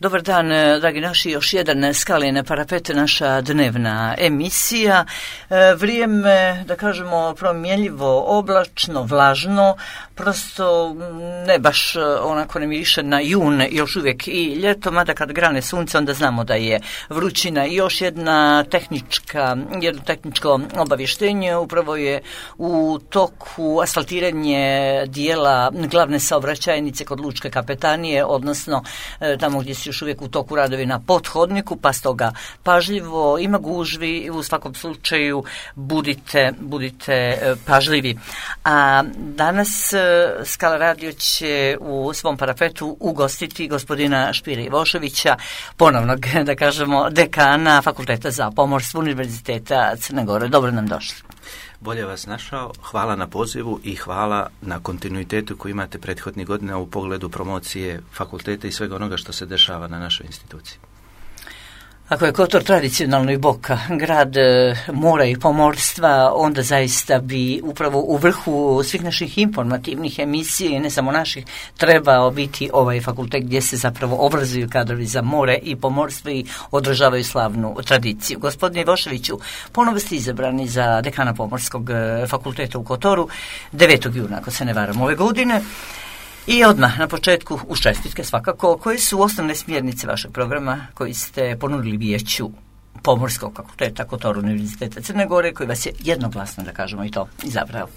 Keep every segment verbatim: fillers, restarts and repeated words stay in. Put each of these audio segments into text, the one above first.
Dobar dan, dragi naši, još jedan Skalin parapet, naša dnevna emisija. Vrijeme, da kažemo, promjenljivo, oblačno, vlažno, prosto ne baš onako ne miriše na jun, još uvijek i ljeto, mada kad grane sunce onda znamo da je vrućina. I još jedna tehnička, jedno tehničko obavještenje, upravo je u toku asfaltiranje dijela glavne saobraćajnice kod Lučke kapetanije, odnosno tamo gdje su još uvijek u toku radovi na pothodniku, pa stoga pažljivo, ima gužvi i u svakom slučaju budite, budite pažljivi. A danas Skala radio će u svom parapetu ugostiti gospodina Špire Ivoševića, ponovnog, da kažemo, dekana Fakulteta za pomorstvo Univerziteta Crne Gore. Dobro nam došli. Bolje vas našao, hvala na pozivu i hvala na kontinuitetu koji imate prethodnih godina u pogledu promocije fakulteta i svega onoga što se dešava na našoj instituciji. Ako je Kotor tradicionalno i Boka grad e, mora i pomorstva, onda zaista bi upravo u vrhu svih naših informativnih emisija i ne samo naših trebao biti ovaj fakultet gdje se zapravo obrazuju kadrovi za more i pomorstvo i održavaju slavnu tradiciju. Gospodine Ivoševiću, ponovo ste izabrani za dekana Pomorskog fakulteta u Kotoru devetog juna, ako se ne varam, ove godine. I odmah na početku uz čestitke svakako, koje su osnovne smjernice vašeg programa koji ste ponudili vijeću Pomorskog fakulteta Kotor Univerziteta Crne Gore, koji vas je jednoglasno, da kažemo i to, izabrao?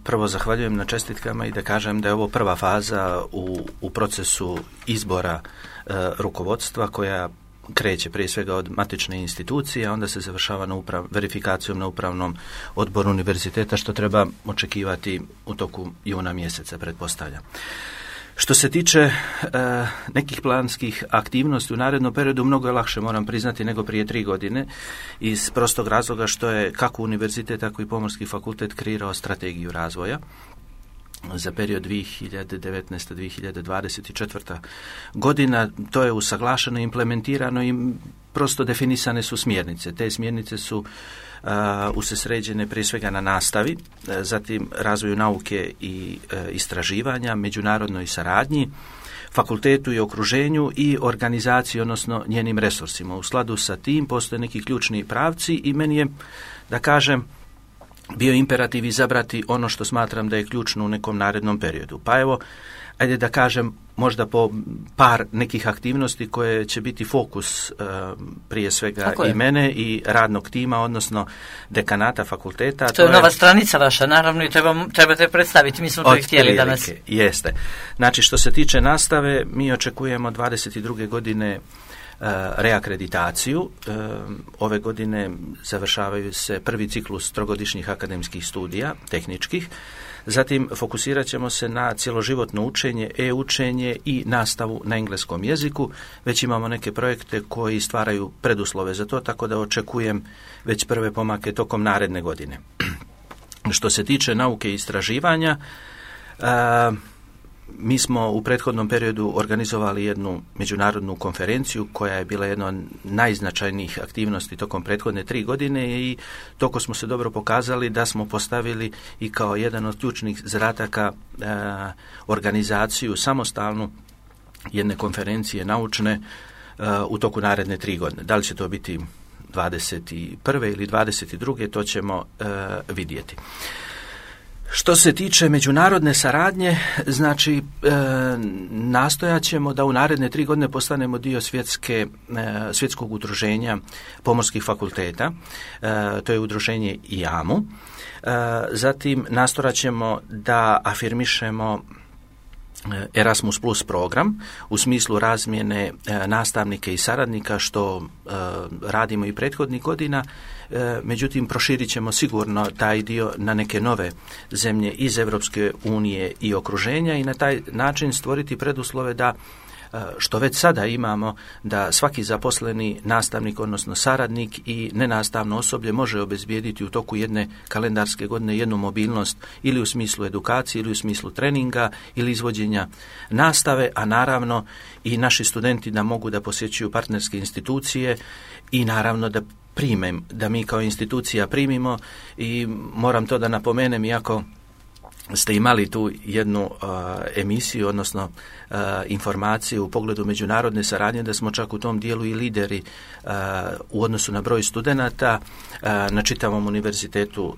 Prvo zahvaljujem na čestitkama i da kažem da je ovo prva faza u, u procesu izbora e, rukovodstva koja kreće prije svega od matične institucije, a onda se završava na uprav, verifikacijom na upravnom odboru univerziteta, što treba očekivati u toku juna mjeseca, pretpostavljam. Što se tiče e, nekih planskih aktivnosti u narednom periodu, mnogo je lakše, moram priznati, nego prije tri godine, iz prostog razloga što je kako univerzitet, tako i Pomorski fakultet kreirao strategiju razvoja za period dvije hiljade devetnaeste do dvije hiljade dvadeset četvrte. godina. To je usaglašeno, implementirano i prosto definisane su smjernice. Te smjernice su uh, usređene prije svega na nastavi, uh, zatim razvoju nauke i uh, istraživanja, međunarodnoj saradnji, fakultetu i okruženju i organizaciji, odnosno njenim resursima. U skladu sa tim postoje neki ključni pravci i meni je, da kažem, bio imperativ izabrati ono što smatram da je ključno u nekom narednom periodu. Pa evo, ajde da kažem možda po par nekih aktivnosti koje će biti fokus uh, prije svega i mene i radnog tima, odnosno dekanata fakulteta. To, to je nova je stranica vaša, naravno, i treba, trebate predstaviti, mi smo to i htjeli danas. Jeste. Znači, što se tiče nastave, mi očekujemo dvadeset druge godine reakreditaciju. Ove godine završavaju se prvi ciklus trogodišnjih akademskih studija, tehničkih. Zatim fokusirat ćemo se na cjeloživotno učenje, e-učenje i nastavu na engleskom jeziku. Već imamo neke projekte koji stvaraju preduslove za to, tako da očekujem već prve pomake tokom naredne godine. Što se tiče nauke i istraživanja, a, mi smo u prethodnom periodu organizovali jednu međunarodnu konferenciju koja je bila jedna od najznačajnijih aktivnosti tokom prethodne tri godine i toko smo se dobro pokazali da smo postavili i kao jedan od ključnih zadataka e, organizaciju samostalnu jedne konferencije naučne e, u toku naredne tri godine. Da li će to biti dvadeset prve ili dvadeset druge to ćemo e, vidjeti. Što se tiče međunarodne saradnje, znači e, nastojat ćemo da u naredne tri godine postanemo dio svjetske, e, svjetskog udruženja pomorskih fakulteta, e, to je udruženje I A M U. E, zatim nastojat ćemo da afirmišemo Erasmus plus program u smislu razmjene e, nastavnika i saradnika, što e, radimo i prethodnih godina. E, međutim, proširit ćemo sigurno taj dio na neke nove zemlje iz Europske unije i okruženja i na taj način stvoriti preduslove da, e, što već sada imamo, da svaki zaposleni nastavnik, odnosno saradnik i nenastavno osoblje može obezbijediti u toku jedne kalendarske godine jednu mobilnost ili u smislu edukacije ili u smislu treninga ili izvođenja nastave, a naravno i naši studenti da mogu da posjećuju partnerske institucije i naravno da primem, da mi kao institucija primimo i moram to da napomenem, iako ste imali tu jednu uh, emisiju, odnosno uh, informaciju u pogledu međunarodne saradnje, da smo čak u tom dijelu i lideri uh, u odnosu na broj studenata uh, na čitavom univerzitetu uh,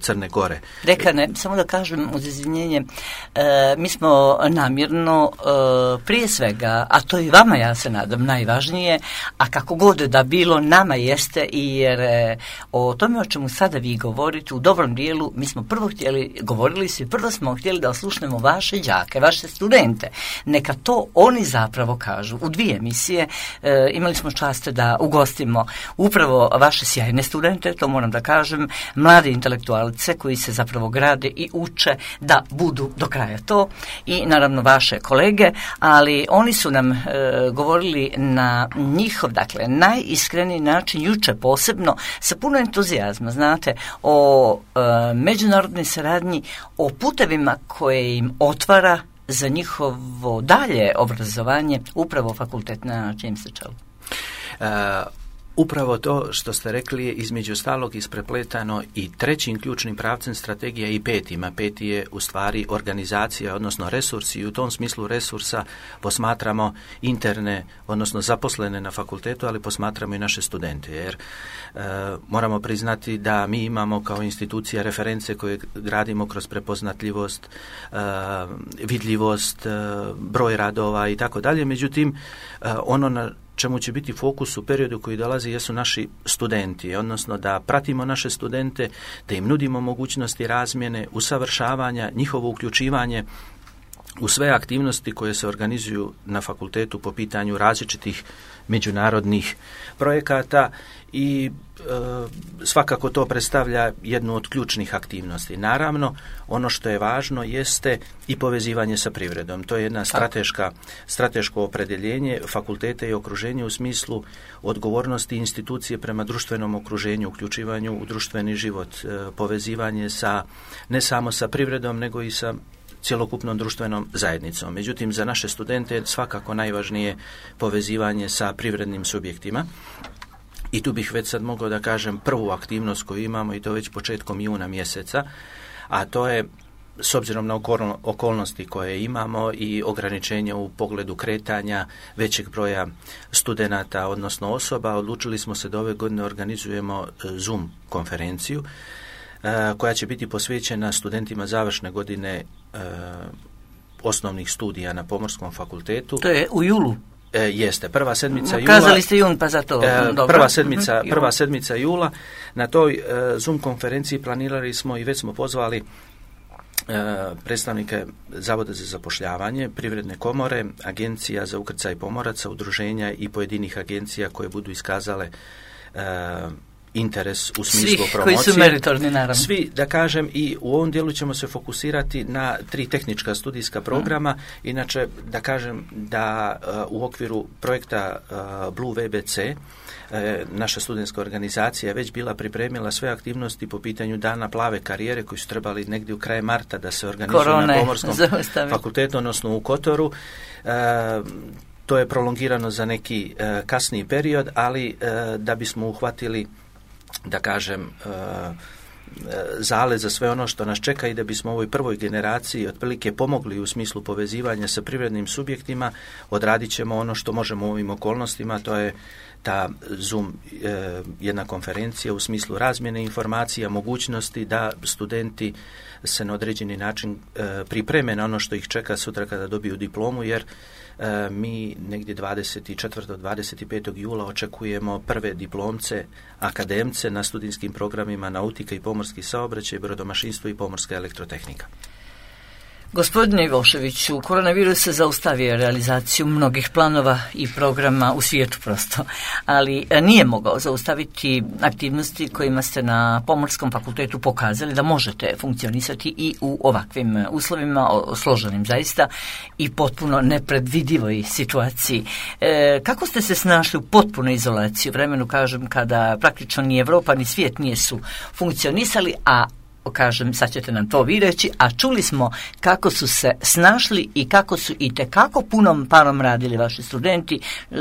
Crne Gore. Dekane, samo da kažem uz izvinjenje, uh, mi smo namjerno uh, prije svega, a to i vama, ja se nadam, najvažnije, a kako god da bilo, nama jeste, i jer uh, o tome o čemu sada vi govorite u dobrom dijelu, mi smo prvo htjeli, govorili su i prvo smo htjeli da oslušnemo vaše đake, vaše studente. Neka to oni zapravo kažu. U dvije emisije e, imali smo čast da ugostimo upravo vaše sjajne studente, to moram da kažem, mlade intelektualce koji se zapravo grade i uče da budu do kraja to, i naravno vaše kolege, ali oni su nam e, govorili na njihov, dakle, najiskreniji način, juče posebno, sa puno entuzijazma, znate, o e, međunarodnoj saradnji, o putevima koje im otvara za njihovo dalje obrazovanje upravo fakultet na čijem se čelu. Uh, Upravo to što ste rekli je između ostalog isprepletano i trećim ključnim pravcem strategija i petima. Peti je u stvari organizacija, odnosno resursi, i u tom smislu resursa posmatramo interne, odnosno zaposlene na fakultetu, ali posmatramo i naše studente, jer e, moramo priznati da mi imamo kao institucija reference koje gradimo kroz prepoznatljivost, e, vidljivost, e, broj radova i tako dalje. Međutim, e, ono na čemu će biti fokus u periodu koji dolazi jesu naši studenti, odnosno da pratimo naše studente, da im nudimo mogućnosti razmjene, usavršavanja, njihovo uključivanje u sve aktivnosti koje se organizuju na fakultetu po pitanju različitih međunarodnih projekata, i e, svakako to predstavlja jednu od ključnih aktivnosti. Naravno, ono što je važno jeste i povezivanje sa privredom. To je jedna strateška, strateško opredjeljenje fakulteta i okruženja u smislu odgovornosti institucije prema društvenom okruženju, uključivanju u društveni život, e, povezivanje sa, ne samo sa privredom, nego i sa cjelokupnom društvenom zajednicom. Međutim, za naše studente je svakako najvažnije povezivanje sa privrednim subjektima. I tu bih već sad mogao da kažem prvu aktivnost koju imamo, i to već početkom juna mjeseca, a to je, s obzirom na okolnosti koje imamo i ograničenja u pogledu kretanja većeg broja studenata, odnosno osoba, odlučili smo se da ove godine organizujemo Zoom konferenciju koja će biti posvećena studentima završne godine e, osnovnih studija na Pomorskom fakultetu. To je u julu. E, jeste, prva sedmica jula. Kazali ste jun, pa zato. E, dobro. Prva sedmica, prva sedmica jula. Na toj e, Zoom konferenciji planirali smo i već smo pozvali e, predstavnike Zavoda za zapošljavanje, Privredne komore, Agencija za ukrcaj pomoraca, udruženja i pojedinih agencija koje budu iskazale e, interes u smislu svih promocije. Koji su meritorni, naravno. Svi, da kažem, i u ovom dijelu ćemo se fokusirati na tri tehnička studijska programa. Mm. Inače, da kažem da uh, u okviru projekta uh, Blue V B C uh, naša studentska organizacija je već bila pripremila sve aktivnosti po pitanju Dana plave karijere koji su trebali negdje u kraju marta da se organizuju Korone, na Pomorskom zaustavi. fakultetu, odnosno u Kotoru. Uh, to je prolongirano za neki uh, kasniji period, ali uh, da bismo uhvatili, da kažem, zale za sve ono što nas čeka i da bismo ovoj prvoj generaciji otprilike pomogli u smislu povezivanja sa privrednim subjektima, odradit ćemo ono što možemo u ovim okolnostima, to je ta Zoom jedna konferencija u smislu razmjene informacija, mogućnosti da studenti se na određeni način pripreme na ono što ih čeka sutra kada dobiju diplomu, jer E, mi negdje dvadeset četvrtog do dvadeset petog jula očekujemo prve diplomce, akademce na studijskim programima nautika i pomorski saobraćaj, brodomašinstvo i pomorska elektrotehnika. Gospodine Ivoševiću, koronavirus je zaustavio realizaciju mnogih planova i programa u svijetu prosto, ali nije mogao zaustaviti aktivnosti kojima ste na Pomorskom fakultetu pokazali da možete funkcionisati i u ovakvim uslovima, složenim zaista i potpuno nepredvidivoj situaciji. E, kako ste se snašli u potpunoj izolaciji, vremenu kažem kada praktično ni Evropa ni svijet nisu funkcionisali, a kažem, sad ćete nam to vi reći, a čuli smo kako su se snašli i kako su i tekako punom parom radili vaši studenti. E,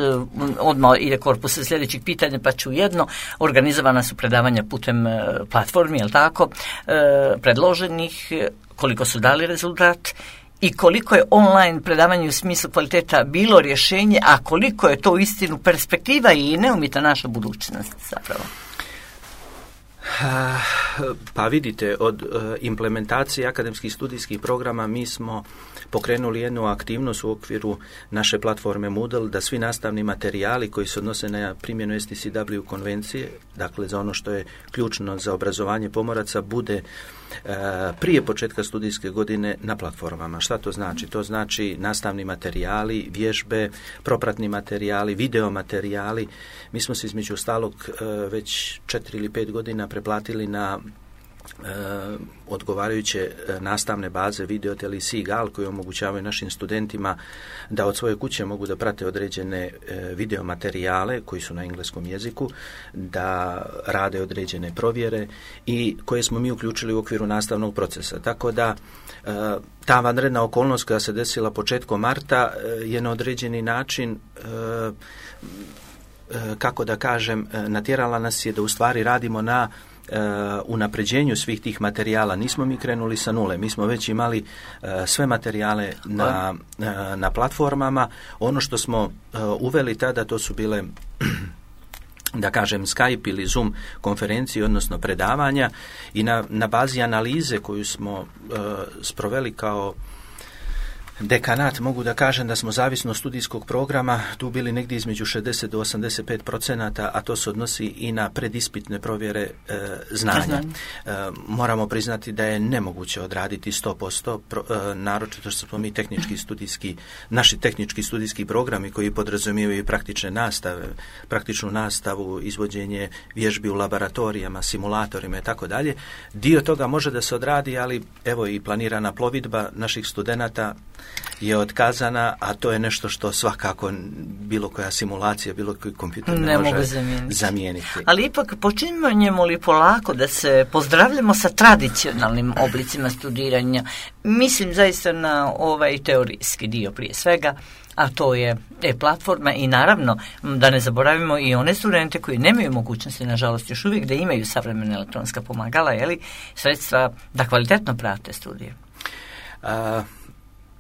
odmah ide korpus sljedećih pitanja, pa ću jedno. Organizovana su predavanja putem e, platformi, jel tako, e, predloženih. koliko su dali rezultat i koliko je online predavanje u smislu kvaliteta bilo rješenje, a koliko je to u istinu perspektiva i neumita naša budućnost zapravo. Pa vidite, od implementacije akademskih studijskih programa mi smo pokrenuli jednu aktivnost u okviru naše platforme Moodle, da svi nastavni materijali koji se odnose na primjenu S T C W konvencije, dakle za ono što je ključno za obrazovanje pomoraca, bude prije početka studijske godine na platformama. Šta to znači? To znači nastavni materijali, vježbe, propratni materijali, video materijali. Mi smo se između ostalog već četiri ili pet godina preplatili na E, odgovarajuće e, nastavne baze Videotel i Seagull koji omogućavaju našim studentima da od svoje kuće mogu da prate određene e, video materijale koji su na engleskom jeziku, da rade određene provjere i koje smo mi uključili u okviru nastavnog procesa. Tako da e, ta vanredna okolnost koja se desila početkom marta e, je na određeni način e, e, kako da kažem, natjerala nas je da u stvari radimo na Uh, unapređenju svih tih materijala. Nismo mi krenuli sa nule, mi smo već imali uh, sve materijale na, uh, na platformama. Ono što smo uh, uveli tada, to su bile da kažem Skype ili Zoom konferencije, odnosno predavanja, i na, na bazi analize koju smo uh, sproveli kao dekanat, mogu da kažem da smo zavisno od studijskog programa tu bili negdje između šezdeset do osamdeset pet procenata, a to se odnosi i na predispitne provjere e, znanja. E, moramo priznati da je nemoguće odraditi sto posto, pro, e, naročito što smo mi tehnički studijski, naši tehnički studijski programi koji podrazumijevaju praktične nastave, praktičnu nastavu, izvođenje vježbi u laboratorijama, simulatorima i tako dalje. Dio toga može da se odradi, ali evo i planirana plovidba naših studenata je otkazana, a to je nešto što svakako bilo koja simulacija, bilo koji kompjuter ne, ne može zamijeniti. zamijeniti. Ali ipak počinjemo li polako da se pozdravljamo sa tradicionalnim oblicima studiranja? Mislim zaista na ovaj teorijski dio prije svega, a to je e-platforma i naravno da ne zaboravimo i one studente koji nemaju mogućnosti, nažalost još uvijek, da imaju savremena elektronska pomagala, jeli, sredstva da kvalitetno prate studije. A...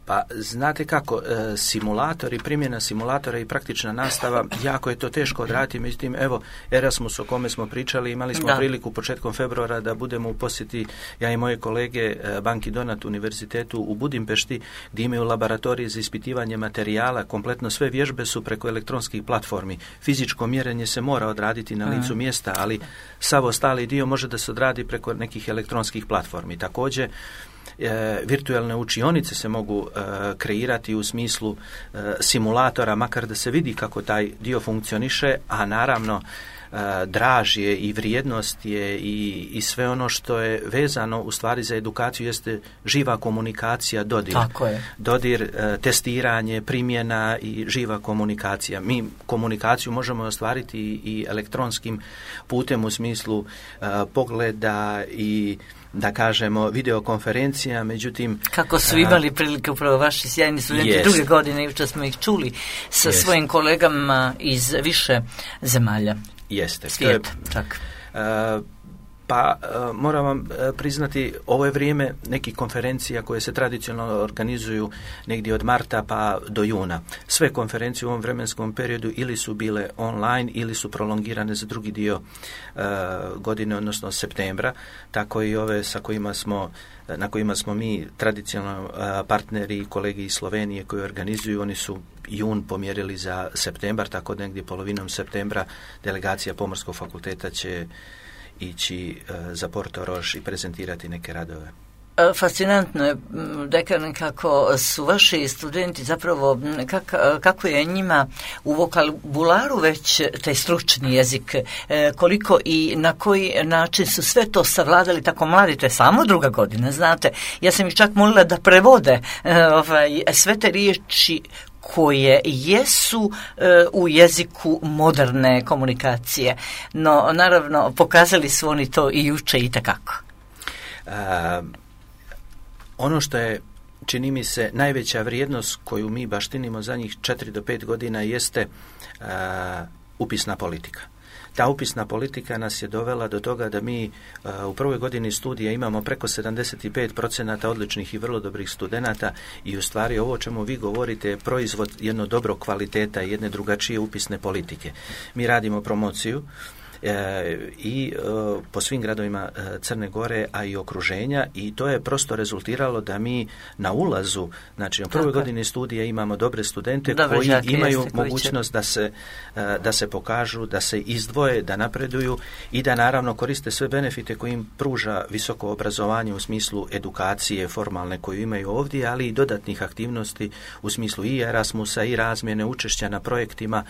Pa znate kako, e, simulatori, primjena simulatora i praktična nastava, jako je to teško odraditi, međutim, evo, Erasmus o kome smo pričali, imali smo da. priliku početkom februara da budemo u posjeti, ja i moje kolege, e, Banki Donat univerzitetu u Budimpešti, gdje imaju laboratorije za ispitivanje materijala, kompletno sve vježbe su preko elektronskih platformi. Fizičko mjerenje se mora odraditi na licu mjesta, ali sav ostali dio može da se odradi preko nekih elektronskih platformi. Također, E, virtualne učionice se mogu e, kreirati u smislu e, simulatora, makar da se vidi kako taj dio funkcioniše, a naravno e, draž je i vrijednost je i, i sve ono što je vezano u stvari za edukaciju jeste živa komunikacija, dodir. Tako je. Dodir, e, testiranje, primjena i živa komunikacija. Mi komunikaciju možemo ostvariti i, i elektronskim putem u smislu e, pogleda i da kažemo videokonferencija, međutim... Kako su imali prilike upravo vaši sjajni studenti yes. druge godine, jučer smo ih čuli sa yes. svojim kolegama iz više zemalja. Jeste. Svijeta, čak. Uh, pa uh, moram vam uh, priznati, ovo je vrijeme nekih konferencija koje se tradicionalno organizuju negdje od marta pa do juna. Sve konferencije u ovom vremenskom periodu ili su bile online ili su prolongirane za drugi dio uh, godine, odnosno septembra, tako i ove sa kojima smo, na kojima smo mi tradicionalno uh, partneri i kolegi iz Slovenije koji organizuju, oni su jun pomjerili za septembar, tako da negdje polovinom septembra delegacija Pomorskog fakulteta će ići uh, za Porto Roš i prezentirati neke radove. Fascinantno je, dekan, kako su vaši studenti zapravo, kak, kako je njima u vokabularu već taj stručni jezik, koliko i na koji način su sve to savladali tako mladi, to je samo druga godina, znate. Ja sam ih čak molila da prevode ovaj, sve te riječi koje jesu e, u jeziku moderne komunikacije. No, naravno, pokazali su oni to i juče i takako. Uh, ono što je, čini mi se, najveća vrijednost koju mi baštinimo zadnjih četiri do pet godina jeste uh, upisna politika. ta upisna politika nas je dovela do toga da mi u prvoj godini studija imamo preko sedamdeset pet procenata odličnih i vrlo dobrih studenata i u stvari ovo o čemu vi govorite je proizvod jedno dobro kvaliteta i jedne drugačije upisne politike. Mi radimo promociju E, i e, po svim gradovima e, Crne Gore, a i okruženja, i to je prosto rezultiralo da mi na ulazu, znači u prvoj Tako. godini studija imamo dobre studente dobre koji žake, imaju jeste, mogućnost će... da se e, da se pokažu, da se izdvoje, da napreduju i da naravno koriste sve benefite koje im pruža visoko obrazovanje u smislu edukacije formalne koju imaju ovdje, ali i dodatnih aktivnosti u smislu i Erasmusa i razmjene, učešća na projektima,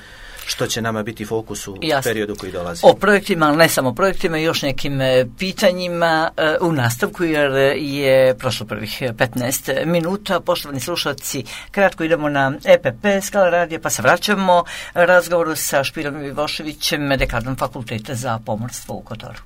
što će nama biti fokus u Jasne. periodu koji dolazi. O projektima, ali ne samo projektima, i još nekim pitanjima u nastavku, jer je prošlo prvih petnaest minuta. Poštovani slušalci, kratko idemo na E P P Skala radija, pa se vraćamo razgovoru sa Špirom Ivoševićem, dekanom Fakulteta za pomorstvo u Kotoru.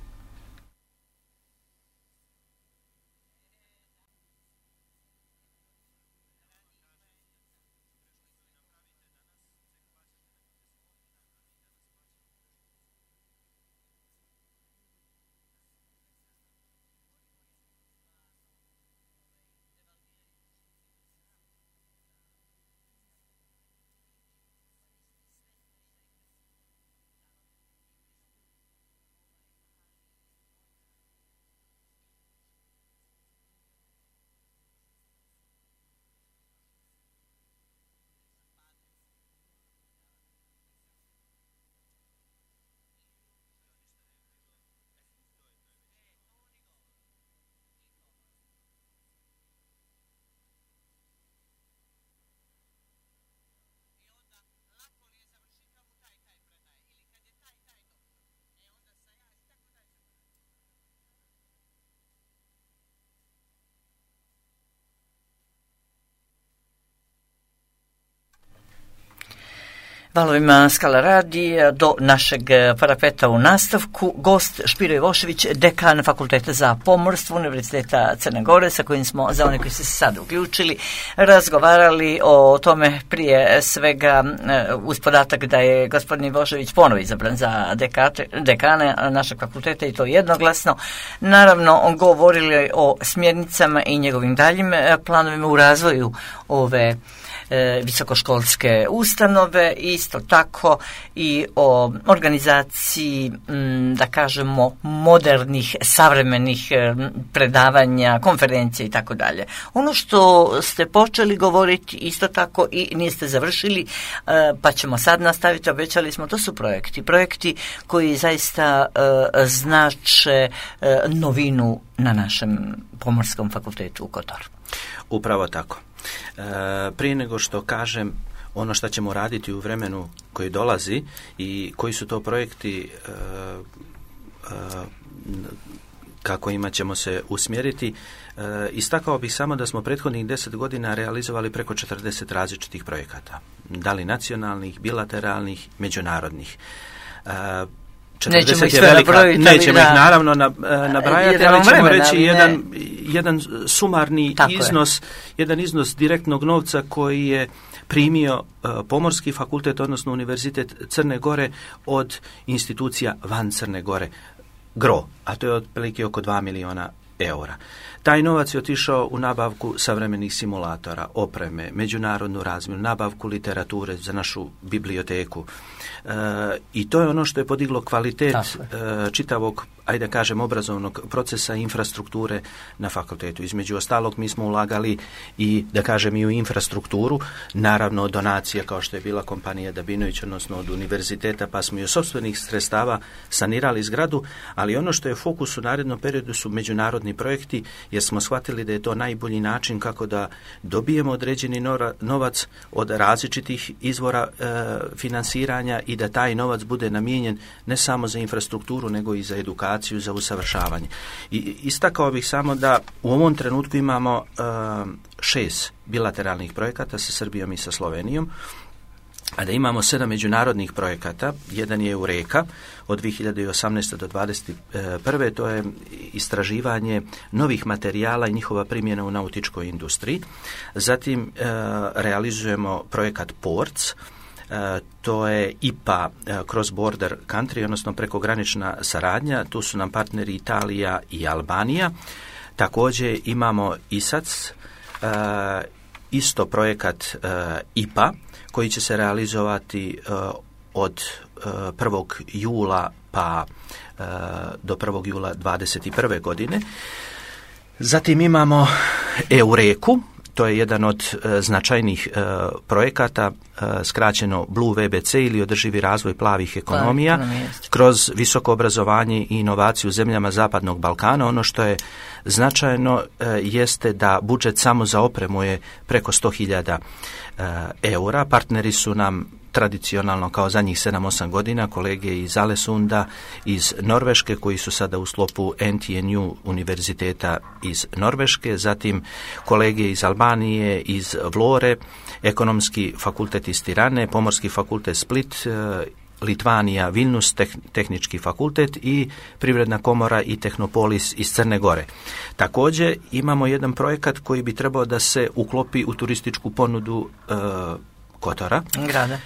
Valovima Skala radija do našeg parapeta u nastavku. Gost Špiro Ivošević, dekan Fakulteta za pomorstvo Univerziteta Crne Gore, sa kojim smo, za one koji su se sad uključili, razgovarali o tome prije svega uz podatak da je gospodin Ivošević ponovo izabran za dekate, dekane našeg fakulteta i to jednoglasno. Naravno, govorili o smjernicama i njegovim daljim planovima u razvoju ove visokoškolske ustanove, isto tako i o organizaciji, da kažemo, modernih, savremenih predavanja, konferencija i tako dalje. Ono što ste počeli govoriti isto tako i niste završili, pa ćemo sad nastaviti, obećali smo, to su projekti. Projekti koji zaista znače novinu na našem Pomorskom fakultetu u Kotoru. Upravo tako. E, prije nego što kažem ono što ćemo raditi u vremenu koji dolazi i koji su to projekti e, e, kako ima ćemo se usmjeriti, e, istakao bih samo da smo prethodnih deset godina realizovali preko četrdeset različitih projekata, da li nacionalnih, bilateralnih, međunarodnih. E, Nećemo ih sve nabrojiti. Nećemo ih naravno nabrajati, ali ćemo reći jedan, jedan sumarni Tako iznos, je. jedan iznos direktnog novca koji je primio uh, Pomorski fakultet, odnosno Univerzitet Crne Gore od institucija van Crne Gore, gro, a to je otprilike oko dva miliona eura. Taj novac je otišao u nabavku savremenih simulatora, opreme, međunarodnu razmjenu, nabavku literature za našu biblioteku. E, I to je ono što je podiglo kvalitet e, čitavog, ajde da kažem, obrazovnog procesa i infrastrukture na fakultetu. Između ostalog, mi smo ulagali i, da kažem, i u infrastrukturu, naravno od donacija kao što je bila kompanija Dabinović, odnosno od univerziteta, pa smo i od sopstvenih sredstava sanirali zgradu, ali ono što je fokus u narednom periodu su međunarodni projekti, jer smo shvatili da je to najbolji način kako da dobijemo određeni novac od različitih izvora e, finansiranja i da taj novac bude namijenjen ne samo za infrastrukturu, nego i za edukaciju, za usavršavanje. I istakao bih samo da u ovom trenutku imamo e, šest bilateralnih projekata sa Srbijom i sa Slovenijom, a da imamo sedam međunarodnih projekata. Jedan je Eureka od dvije hiljade osamnaeste do dvadeset prve. To je istraživanje novih materijala i njihova primjena u nautičkoj industriji. Zatim e, realizujemo projekat Ports, to je I P A Cross Border Country, odnosno prekogranična saradnja. Tu su nam partneri Italija i Albanija. Također imamo I S A C, isto projekat I P A koji će se realizovati od prvog jula pa do prvog jula dvadeset prve godine. Zatim imamo EUREKU, to je jedan od e, značajnih e, projekata, e, skraćeno Blue V B C ili održivi razvoj plavih ekonomija, Plavi, kroz visoko obrazovanje i inovaciju u zemljama Zapadnog Balkana. Ono što je značajno e, jeste da budžet samo za opremu je preko sto hiljada e, eura. Partneri su nam tradicionalno kao zadnjih sedam osam godina kolege iz Alesunda, iz Norveške, koji su sada u sklopu N T N U univerziteta iz Norveške, zatim kolege iz Albanije, iz Vlore, ekonomski fakultet iz Tirane, pomorski fakultet Split, Litvanija, Vilnius, tehnički fakultet i Privredna komora i Tehnopolis iz Crne Gore. Također imamo jedan projekat koji bi trebao da se uklopi u turističku ponudu e, Kotora. Grada. E,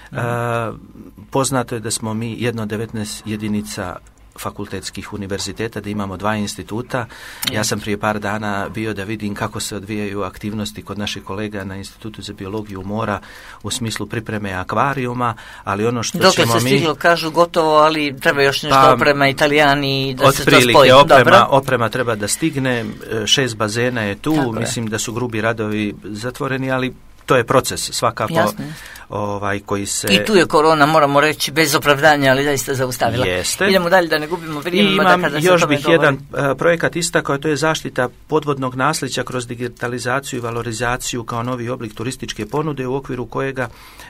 poznato je da smo mi jedno od devetnaest jedinica fakultetskih univerziteta, da imamo dva instituta. Ja sam prije par dana bio da vidim kako se odvijaju aktivnosti kod naših kolega na Institutu za biologiju mora u smislu pripreme akvarijuma, ali ono što Dokle ćemo mi... se stiglo, kažu gotovo, ali treba još nešto pa, oprema Italijani da se to otprilike, spoji. Oprema, Dobro. oprema treba da stigne, šest bazena je tu, Tako mislim je. da su grubi radovi zatvoreni, ali to je proces svakako. Jasno. Ovaj, koji se... I tu je korona, moramo reći, bez opravdanja, ali zaista zaustavila. Jeste. Idemo dalje da ne gubimo vrijeme. I imam kada još se bih govori. jedan uh, projekat istakao, to je zaštita podvodnog nasljeđa kroz digitalizaciju i valorizaciju kao novi oblik turističke ponude, u okviru kojega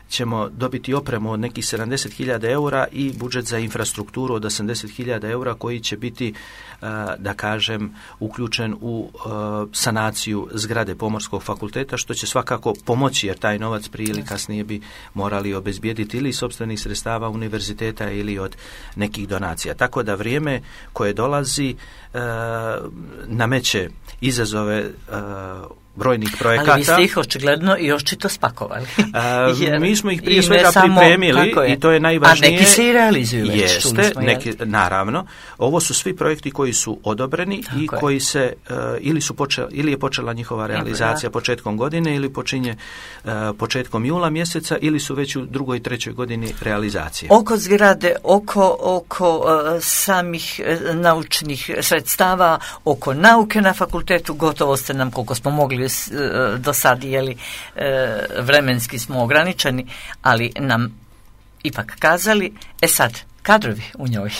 ćemo dobiti opremu od nekih sedamdeset hiljada eura i budžet za infrastrukturu od osamdeset hiljada eura koji će biti, uh, da kažem, uključen u uh, sanaciju zgrade Pomorskog fakulteta, što će svakako pomoći, jer taj novac prije ili kasnije bi morali obezbijediti ili sopstvenih sredstava univerziteta ili od nekih donacija. Tako da vrijeme koje dolazi e, nameće izazove e, brojnih projekata. Ali vi ste ih očigledno i očito spakovali. A, Jer mi smo ih prije ne svega samo, pripremili i to je najvažnije. A neki se i realizuju već. Jeste, smo, neki, naravno. Ovo su svi projekti koji su odobreni Tako i je. koji se uh, ili su počela, ili je počela njihova realizacija da. početkom godine ili počinje uh, početkom jula mjeseca ili su već u drugoj i trećoj godini realizacije. Oko zgrade, oko, oko uh, samih uh, naučnih sredstava, oko nauke na fakultetu, gotovo ste nam, koliko smo mogli do sad, jeli, vremenski smo ograničeni, ali nam ipak kazali, e sad, kadrovi u njoj,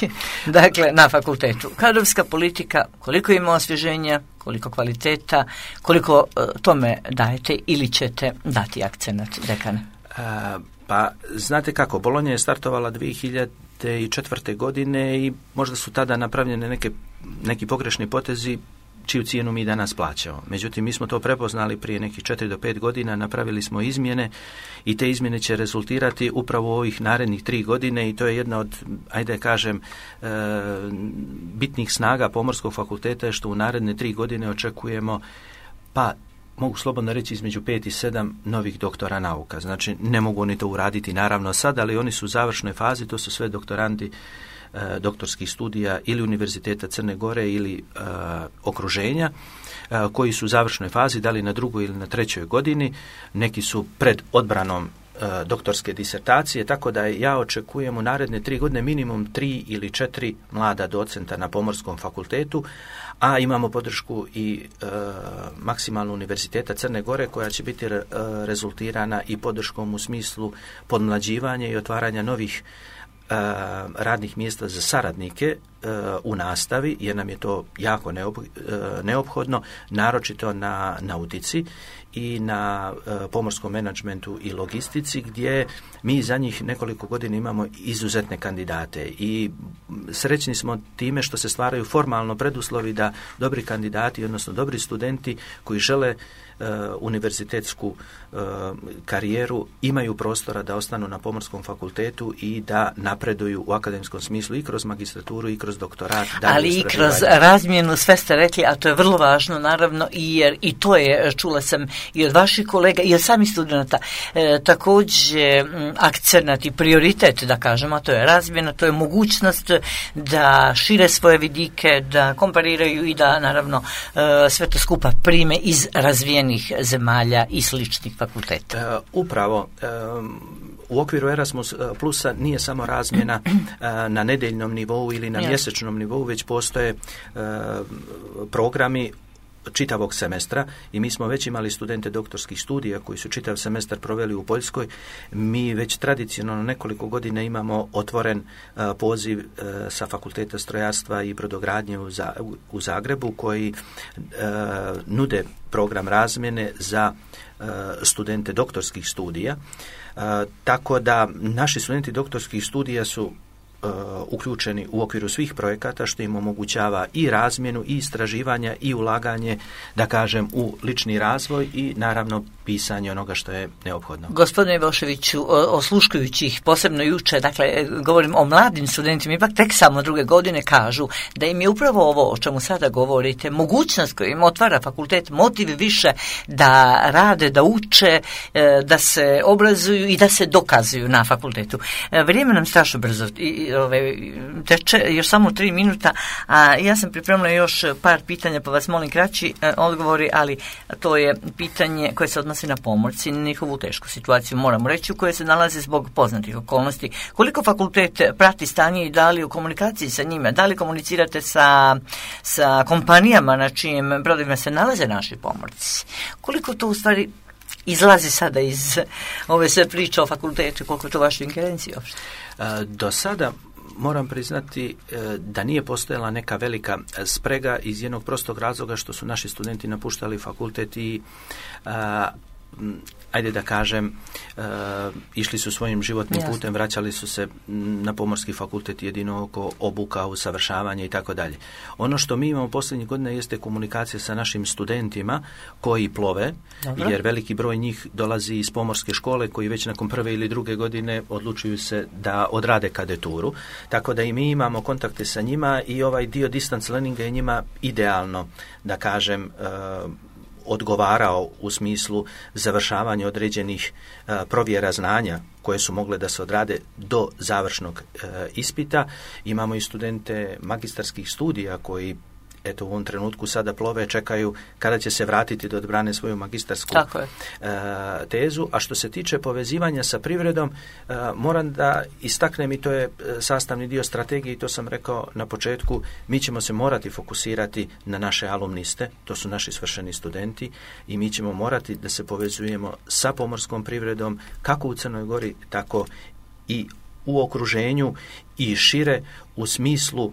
dakle, na fakultetu. Kadrovska politika, koliko ima osvježenja, koliko kvaliteta, koliko tome dajete ili ćete dati akcenat, dekane? A, pa, znate kako, Bolonja je startovala dvije hiljade četvrte. godine i možda su tada napravljene neke, neki pogrešni potezi čiju cijenu mi danas plaćamo. Međutim, mi smo to prepoznali prije nekih četiri do pet godina, napravili smo izmjene i te izmjene će rezultirati upravo u ovih narednih tri godine i to je jedna od, ajde kažem, e, bitnih snaga Pomorskog fakulteta je što u naredne tri godine očekujemo, pa mogu slobodno reći, između pet i sedam novih doktora nauka. Znači, ne mogu oni to uraditi naravno sad, ali oni su u završnoj fazi, to su sve doktorandi doktorskih studija ili Univerziteta Crne Gore ili uh, okruženja uh, koji su u završnoj fazi, da li na drugoj ili na trećoj godini, neki su pred odbranom uh, doktorske disertacije, tako da ja očekujem u naredne tri godine minimum tri ili četiri mlada docenta na Pomorskom fakultetu, a imamo podršku i uh, maksimalno Univerziteta Crne Gore koja će biti re, uh, rezultirana i podrškom u smislu podmlađivanja i otvaranja novih radnih mjesta za saradnike u nastavi, jer nam je to jako neophodno, naročito na nautici i na pomorskom menadžmentu i logistici, gdje mi za njih nekoliko godina imamo izuzetne kandidate i srećni smo time što se stvaraju formalno preduslovi da dobri kandidati, odnosno dobri studenti koji žele Uh, univerzitetsku uh, karijeru imaju prostora da ostanu na Pomorskom fakultetu i da napreduju u akademskom smislu i kroz magistraturu i kroz kroz doktorat. Ali i kroz razmjenu, sve ste rekli, a to je vrlo važno, naravno, i jer i to je, čula sam i od vaših kolega i od samih studenta, e, također akcenat i prioritet, da kažemo, a to je razmjena, to je mogućnost da šire svoje vidike, da kompariraju i da, naravno, e, sve to skupa prime iz razvijenih zemalja i sličnih fakulteta. E, upravo, e, u okviru Erasmus Plusa nije samo razmjena na nedeljnom nivou ili na mjesečnom nivou, već postoje programi čitavog semestra i mi smo već imali studente doktorskih studija koji su čitav semestar proveli u Poljskoj. Mi već tradicionalno nekoliko godina imamo otvoren uh, poziv uh, sa Fakulteta strojarstva i brodogradnje u, za, u, u Zagrebu koji uh, nude program razmjene za uh, studente doktorskih studija. Uh, tako da naši studenti doktorskih studija su Uh, uključeni u okviru svih projekata, što im omogućava i razmjenu i istraživanja i ulaganje, da kažem, u lični razvoj i naravno pisanje onoga što je neophodno. Gospodine Ivoševiću, osluškujući ih posebno juče, dakle, govorim o mladim studentima, ipak tek samo druge godine kažu da im je upravo ovo o čemu sada govorite, mogućnost koju im otvara fakultet, motiv više da rade, da uče, da se obrazuju i da se dokazuju na fakultetu. Vrijeme nam strašno brzo i ove, teče, još samo tri minuta, a ja sam pripremila još par pitanja, pa vas molim kraći e, odgovori, ali to je pitanje koje se odnosi na pomorci, na njihovu tešku situaciju, moramo reći, u kojoj se nalaze zbog poznatih okolnosti. Koliko fakultet prati stanje i da li u komunikaciji sa njima, da li komunicirate sa, sa kompanijama na čijim brodovima se nalaze naši pomorci? Koliko to u stvari izlazi sada iz ove sve priče o fakultetu, koliko je to vaše ingerencije uopšte? Do sada moram priznati da nije postojala neka velika sprega iz jednog prostog razloga što su naši studenti napuštali fakultet i a, ajde da kažem, e, išli su svojim životnim Jasne. putem, vraćali su se na pomorski fakultet jedino oko obuka, usavršavanja i tako dalje. Ono što mi imamo posljednjih godina jeste komunikacija sa našim studentima koji plove, Dobro. jer veliki broj njih dolazi iz pomorske škole koji već nakon prve ili druge godine odlučuju se da odrade kadeturu. Tako da i mi imamo kontakte sa njima i ovaj dio distance learninga je njima idealno, da kažem, e, odgovarao u smislu završavanja određenih uh, provjera znanja koje su mogle da se odrade do završnog uh, ispita. Imamo i studente magistarskih studija koji eto u ovom trenutku sada plove, čekaju kada će se vratiti da odbrane svoju magistarsku uh, tezu. A što se tiče povezivanja sa privredom, uh, moram da istaknem i to je sastavni dio strategije i to sam rekao na početku, mi ćemo se morati fokusirati na naše alumniste, to su naši svršeni studenti i mi ćemo morati da se povezujemo sa pomorskom privredom kako u Crnoj Gori, tako i u okruženju i šire u smislu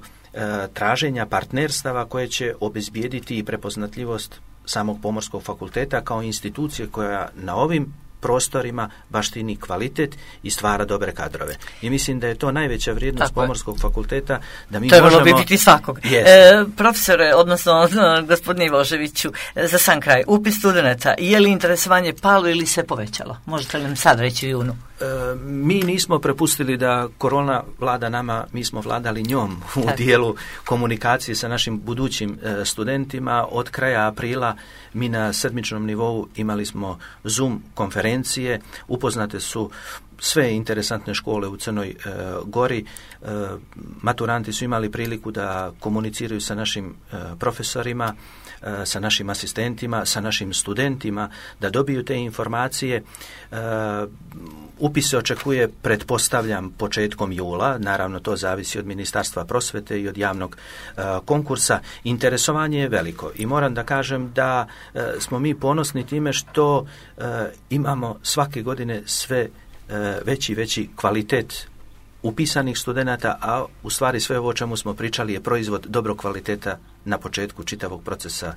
traženja partnerstava koje će obezbijediti i prepoznatljivost samog pomorskog fakulteta kao institucije koja na ovim prostorima baštini kvalitet i stvara dobre kadrove. I mislim da je to najveća vrijednost Tako pomorskog je. fakulteta, da mi to možemo... To je biti svakog. E, profesore, odnosno gospodine Ivoševiću, za sam kraj, upis studenata, je li interesovanje palo ili se povećalo? Možete li nam sad reći u junu? E, mi nismo prepustili da korona vlada nama, mi smo vladali njom u Tako. dijelu komunikacije sa našim budućim e, studentima. Od kraja aprila mi na sedmičnom nivou imali smo Zoom konferencije, upoznate su sve interesantne škole u Crnoj e, Gori, e, maturanti su imali priliku da komuniciraju sa našim e, profesorima, e, sa našim asistentima, sa našim studentima, da dobiju te informacije. E, upis se očekuje, pretpostavljam, početkom jula, naravno to zavisi od Ministarstva prosvete i od javnog e, konkursa. Interesovanje je veliko i moram da kažem da e, smo mi ponosni time što e, imamo svake godine sve veći veći kvalitet upisanih studenata, a u stvari sve ovo o čemu smo pričali je proizvod dobrog kvaliteta na početku čitavog procesa.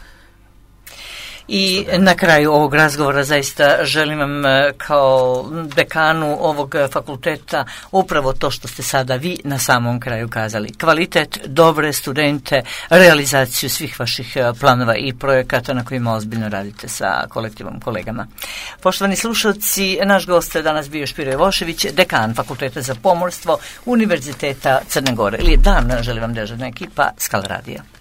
I na kraju ovog razgovora zaista želim vam kao dekanu ovog fakulteta upravo to što ste sada vi na samom kraju kazali. Kvalitet, dobre studente, realizaciju svih vaših planova i projekata na kojima ozbiljno radite sa kolektivom kolegama. Poštovani slušalci, naš gost je danas bio Špiro Jevošević, dekan Fakulteta za pomorstvo Univerziteta Crne Gore. Lijep dan, želim vam dežurna ekipa Skala radija.